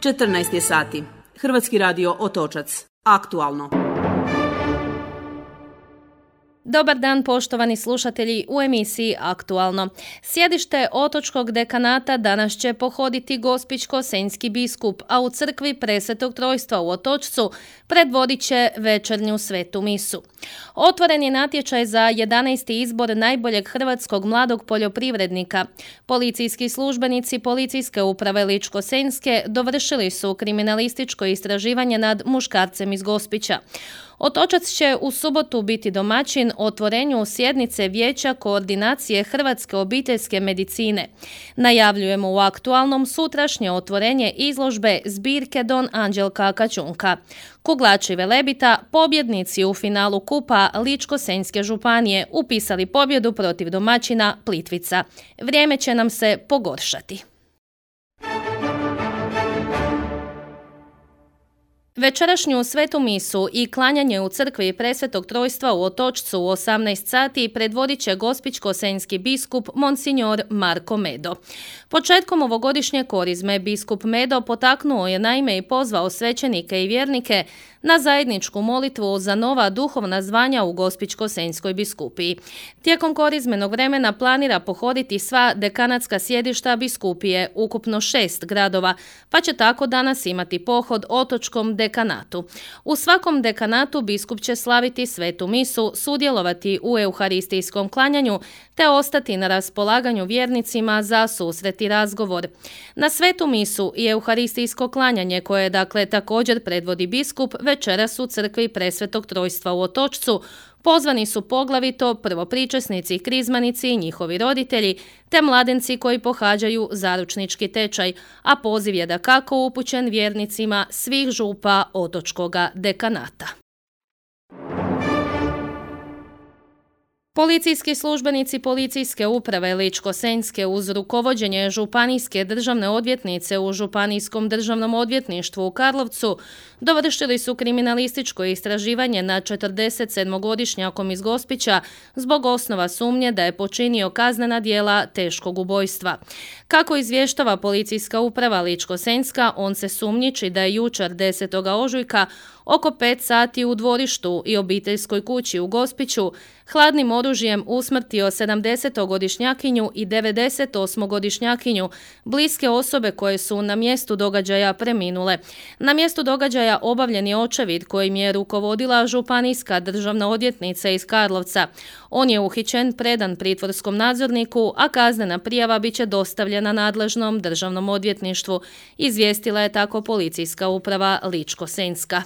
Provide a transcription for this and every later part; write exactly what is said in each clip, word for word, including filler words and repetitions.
četrnaest je sati. Hrvatski radio Otočac. Aktualno. Dobar dan poštovani slušatelji u emisiji Aktualno. Sjedište Otočkog dekanata danas će pohoditi gospićko-senjski biskup, a u crkvi Presvetog Trojstva u Otočcu predvodit će večernju svetu misu. Otvoren je natječaj za jedanaesti izbor najboljeg hrvatskog mladog poljoprivrednika. Policijski službenici Policijske uprave Ličko-senjske dovršili su kriminalističko istraživanje nad muškarcem iz Gospića. Otočac će u subotu biti domaćin otvorenju sjednice Vijeća koordinacije Hrvatske obiteljske medicine. Najavljujemo u Aktualnom sutrašnje otvorenje izložbe zbirke Don Anđelka Kačunka. Kuglači Velebita, pobjednici u finalu kupa Ličko-senjske županije, upisali pobjedu protiv domaćina Plitvica. Vrijeme će nam se pogoršati. Večerašnju svetu misu i klanjanje u crkvi Presvetog Trojstva u Otočcu u osamnaest sati predvodit će gospićko-senjski biskup Monsignor Marko Medo. Početkom ovogodišnje korizme biskup Medo potaknuo je naime i pozvao svećenike i vjernike na zajedničku molitvu za nova duhovna zvanja u gospićko-senjskoj biskupiji. Tijekom korizmenog vremena planira pohoditi sva dekanatska sjedišta biskupije, ukupno šest gradova, pa će tako danas imati pohod otočkom dekanatu. U svakom dekanatu biskup će slaviti svetu misu, sudjelovati u euharistijskom klanjanju te ostati na raspolaganju vjernicima za susret i razgovor. Na svetu misu i euharistijsko klanjanje, koje dakle također predvodi biskup, večeras u crkvi Presvetog Trojstva u Otočcu pozvani su poglavito prvopričesnici, krizmanici i njihovi roditelji, te mladenci koji pohađaju zaručnički tečaj, a poziv je dakako upućen vjernicima svih župa otočkoga dekanata. Policijski službenici Policijske uprave Ličko-senjske uz rukovođenje županijske državne odvjetnice u Županijskom državnom odvjetništvu u Karlovcu dovršili su kriminalističko istraživanje nad četrdesetsedmogodišnjakom iz Gospića zbog osnova sumnje da je počinio kaznena djela teškog ubojstva. Kako izvještava Policijska uprava Ličko-senjska, on se sumnjiči da je jučer desetog ožujka oko pet sati u dvorištu i obiteljskoj kući u Gospiću hladnim oružjem usmrtio sedamdesetogodišnjakinju i devedesetosmogodišnjakinju, bliske osobe koje su na mjestu događaja preminule. Na mjestu događaja obavljen je očevid kojim je rukovodila županijska državna odvjetnica iz Karlovca. On je uhićen, predan pritvorskom nadzorniku, a kaznena prijava bit će dostavljena nadležnom državnom odvjetništvu, izvijestila je tako Policijska uprava Ličko-senjska.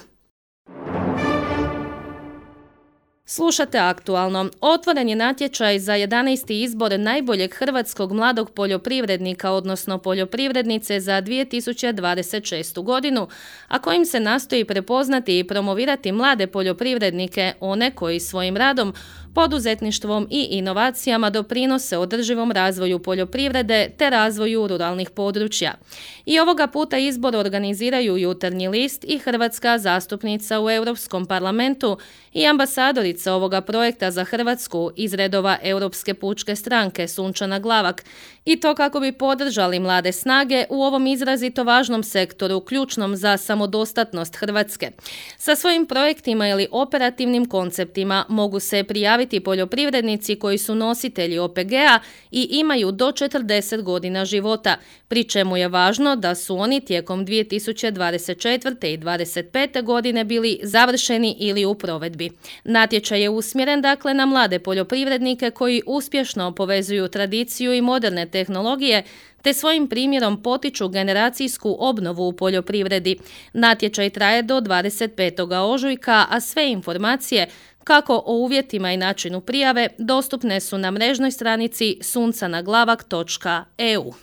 Slušate Aktualno. Otvoren je natječaj za jedanaesti izbor najboljeg hrvatskog mladog poljoprivrednika, odnosno poljoprivrednice za dvije tisuće dvadeset šestu godinu, a kojim se nastoji prepoznati i promovirati mlade poljoprivrednike, one koji svojim radom, poduzetništvom i inovacijama doprinose održivom razvoju poljoprivrede te razvoju ruralnih područja. I ovoga puta izbor organiziraju Jutarnji list i hrvatska zastupnica u Europskom parlamentu i ambasadorica ovoga projekta za Hrvatsku iz redova Europske pučke stranke Sunčana Glavak, i to kako bi podržali mlade snage u ovom izrazito važnom sektoru, ključnom za samodostatnost Hrvatske. Sa svojim projektima ili operativnim konceptima mogu se prijaviti poljoprivrednici koji su nositelji O P G-a i imaju do četrdeset godina života, pri čemu je važno da su oni tijekom dvije tisuće dvadeset četvrte. i dvadeset pete. godine bili završeni ili u provedbi. Natječaj je usmjeren dakle na mlade poljoprivrednike koji uspješno povezuju tradiciju i moderne tehnologije te svojim primjerom potiču generacijsku obnovu u poljoprivredi. Natječaj traje do dvadeset petog ožujka, a sve informacije kako o uvjetima i načinu prijave dostupne su na mrežnoj stranici suncanaglavak točka e u.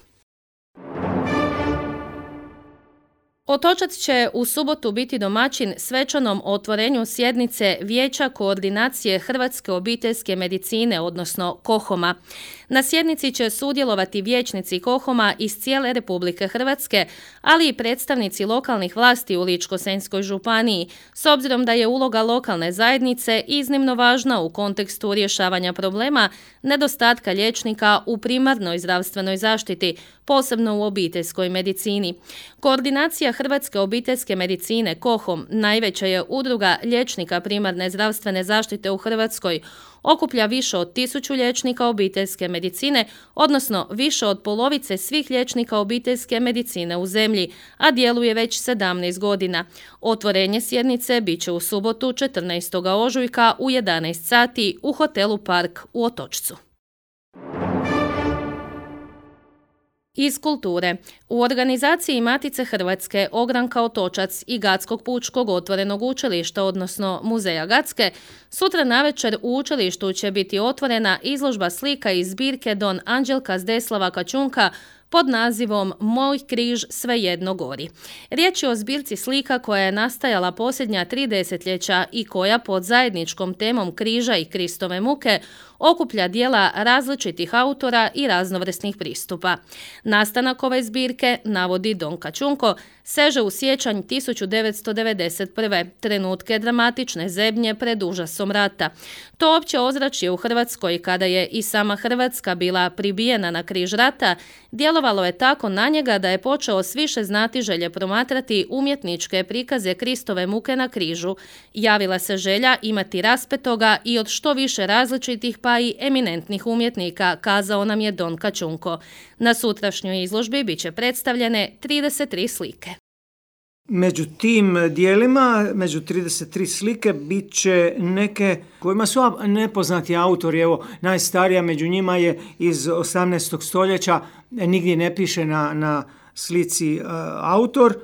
Otočac će u subotu biti domaćin svečanom otvorenju sjednice Vijeća koordinacije Hrvatske obiteljske medicine, odnosno KOHOM-a. Na sjednici će sudjelovati vijećnici KOHOM-a iz cijele Republike Hrvatske, ali i predstavnici lokalnih vlasti u Ličko-senjskoj županiji, s obzirom da je uloga lokalne zajednice iznimno važna u kontekstu rješavanja problema nedostatka liječnika u primarnoj zdravstvenoj zaštiti, posebno u obiteljskoj medicini. Koordinacija Hrvatske obiteljske medicine KOHOM, najveća je udruga liječnika primarne zdravstvene zaštite u Hrvatskoj, okuplja više od tisuću liječnika obiteljske medicine, odnosno više od polovice svih liječnika obiteljske medicine u zemlji, a djeluje već sedamnaest godina. Otvorenje sjednice bit će u subotu četrnaestog ožujka u jedanaest sati u hotelu Park u Otočcu. Iz kulture. U organizaciji Matice Hrvatske, Ogranka Otočac i Gatskog pučkog otvorenog učilišta, odnosno Muzeja Gatske, sutra navečer u učilištu će biti otvorena izložba slika iz zbirke Don Anđelka Zdeslava Kačunka pod nazivom Moj križ svejedno gori. Riječ je o zbirci slika koja je nastajala posljednja tri desetljeća i koja pod zajedničkom temom križa i Kristove muke okuplja djela različitih autora i raznovrsnih pristupa. Nastanak ove zbirke, navodi Don Kačunko, seže u siječanj tisuću devetsto devedeset prve. trenutke dramatične zebnje pred užasom rata. To opće ozračje u Hrvatskoj, kada je i sama Hrvatska bila pribijena na križ rata, djelovalo je tako na njega da je počeo s više znatiželje promatrati umjetničke prikaze Kristove muke na križu. Javila se želja imati raspetoga i od što više različitih pa i eminentnih umjetnika, kazao nam je Don Kačunko. Na sutrašnjoj izložbi bit će predstavljene trideset tri slike. Među tim dijelima, među trideset tri slike, bit će neke kojima su nepoznati autori. Evo, najstarija među njima je iz osamnaestog stoljeća, nigdje ne piše na, na slici uh, autor,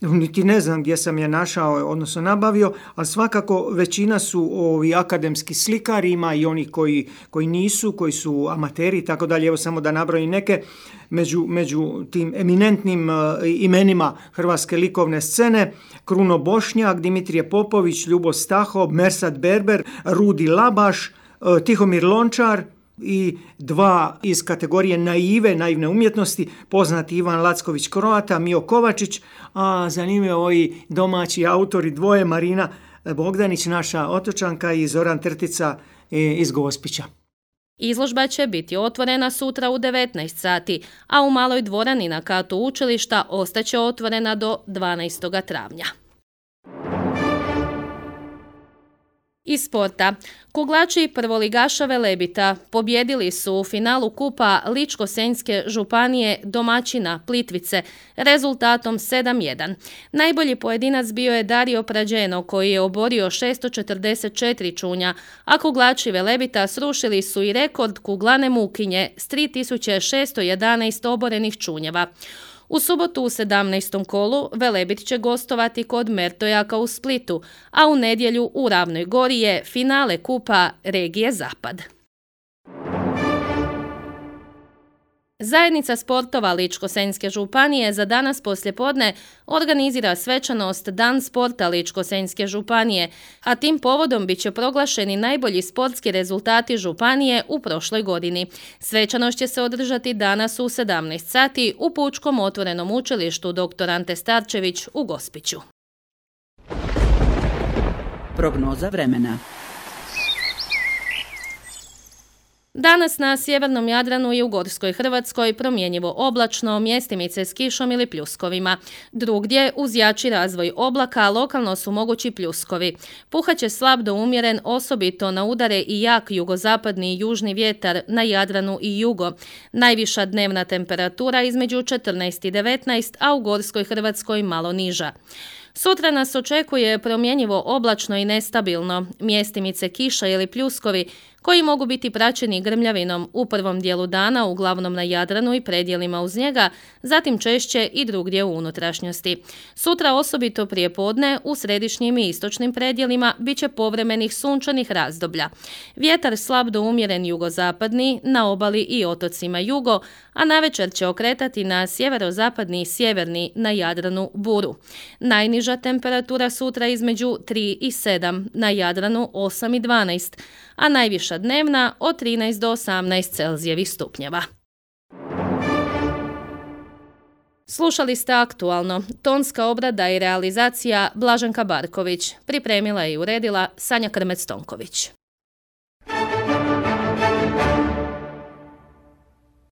niti ne znam gdje sam je našao, odnosno nabavio, ali svakako većina su ovi akademski slikari, ima i oni koji, koji nisu, koji su amateri i tako dalje. Evo samo da nabrojim neke među, među tim eminentnim uh, imenima hrvatske likovne scene: Kruno Bošnjak, Dimitrije Popović, Ljubo Stahov, Mersat Berber, Rudi Labaš, uh, Tihomir Lončar i dva iz kategorije naive, naivne umjetnosti, poznati Ivan Lacković-Kroata, Mio Kovačić, a zanimljivo i domaći autori dvoje, Marina Bogdanić, naša Otočanka, i Zoran Trtica iz Gospića. Izložba će biti otvorena sutra u devetnaest sati, a u maloj dvorani na katu učilišta ostaće otvorena do dvanaestog travnja. Iz sporta. Kuglači prvoligaša Velebita pobjedili su u finalu kupa Ličko-senjske županije domaćina Plitvice rezultatom sedam jedan. Najbolji pojedinac bio je Dario Prađeno, koji je oborio šesto četrdeset četiri čunja, a kuglači Velebita srušili su i rekord kuglane Mukinje s tri tisuće šesto jedanaest oborenih čunjeva. U subotu u sedamnaestom kolu Velebit će gostovati kod Mertojaka u Splitu, a u nedjelju u Ravnoj Gori je finale kupa regije Zapad. Zajednica sportova Ličko-senjske županije za danas poslijepodne organizira svečanost Dan sporta Ličko-senjske županije, a tim povodom bit će proglašeni najbolji sportski rezultati županije u prošloj godini. Svečanost će se održati danas u sedamnaest sati u Pučkom otvorenom učilištu doktor Ante Starčević u Gospiću. Prognoza vremena. Danas na sjevernom Jadranu i u Gorskoj Hrvatskoj promjenjivo oblačno, mjestimice s kišom ili pljuskovima. Drugdje, uz jači razvoj oblaka, lokalno su mogući pljuskovi. Puhaće slab do umjeren, osobito na udare i jak jugozapadni i južni vjetar na Jadranu i jugo. Najviša dnevna temperatura između četrnaest i devetnaest, a u Gorskoj Hrvatskoj malo niža. Sutra nas očekuje promjenjivo oblačno i nestabilno, mjestimice kiša ili pljuskovi koji mogu biti praćeni grmljavinom u prvom dijelu dana, uglavnom na Jadranu i predjelima uz njega, zatim češće i drugdje u unutrašnjosti. Sutra osobito prije podne u središnjim i istočnim predjelima bit će povremenih sunčanih razdoblja. Vjetar slab do umjeren jugozapadni, na obali i otocima jugo, a navečer će okretati na sjeverozapadni i sjeverni na Jadranu buru. Najniža temperatura sutra između tri i sedam, na Jadranu osam i dvanaest, a najviša dnevna od trinaest do osamnaest Celzijevih stupnjeva. Slušali ste Aktualno. Tonska obrada i realizacija Blaženka Barković. Pripremila je i uredila Sanja Krmec-Tonković.